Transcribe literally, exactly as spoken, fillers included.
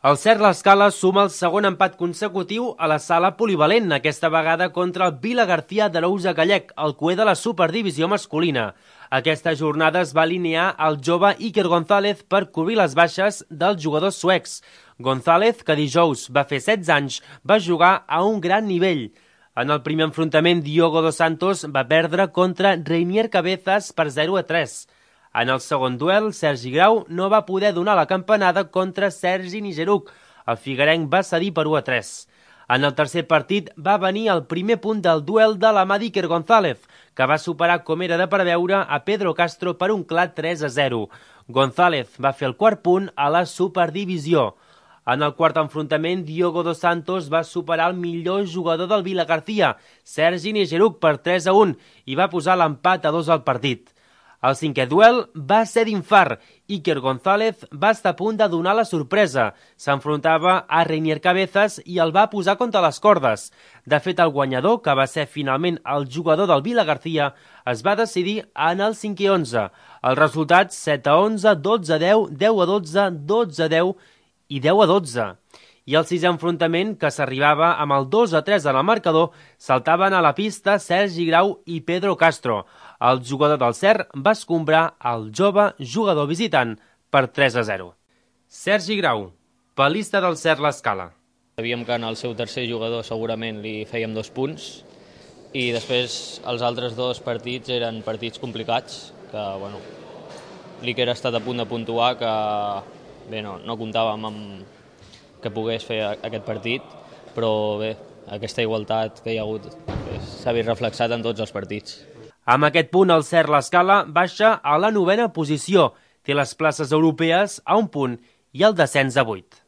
El Cert l'Escala suma el segon empat consecutiu a la sala polivalent, aquesta vegada contra el Vila García d'Arousa Gallec, el cuer de la superdivisió masculina. Aquesta jornada es va alinear el jove Iker González per cobrir les baixes dels jugadors suecs. González, que dijous va fer setze anys, va jugar a un gran nivell. En el primer enfrontament, Diogo dos Santos va perdre contra Reinier Cabezas per zero a tres. En el segon duel, Sergi Grau no va poder donar la campanada contra Sergi Nigeruk. El figuerenc va cedir per u a tres. En el tercer partit va venir el primer punt del duel de la mà d'Iker González, que va superar, com era de preveure, a Pedro Castro per un clar tres a zero. González va fer el quart punt a la superdivisió. En el quart enfrontament, Diogo dos Santos va superar el millor jugador del Vila García, Sergi Nigeruk, per tres a un, i va posar l'empat a dos al partit. El cinquè duel va ser d'infart. Iker González va estar a punt de donar la sorpresa. S'enfrontava a Reinier Cabezas i el va posar contra les cordes. De fet, el guanyador, que va ser finalment el jugador del Vila García, es va decidir en el cinquè onze. El resultat set a onze, dotze a deu, deu a dotze, dotze a deu i deu a dotze. I el sisè enfrontament, que s'arribava amb el dos a tres en el marcador, saltaven a la pista Sergi Grau i Pedro Castro. El jugador del Cert va escombrar el jove jugador visitant per tres a zero. Sergi Grau, palista del Cert l'Escala. Sabíem que en el seu tercer jugador segurament li fèiem dos punts i després els altres dos partits eren partits complicats, que bueno, l'Iker ha estat a punt de puntuar, que bé, no, no comptàvem amb que pogués fer aquest partit, però bé, aquesta igualtat que hi ha hagut s'ha vist reflexat en tots els partits. Amb aquest punt, el Cert l'Escala baixa a la novena posició. Té les places europees a un punt i el descens a vuit.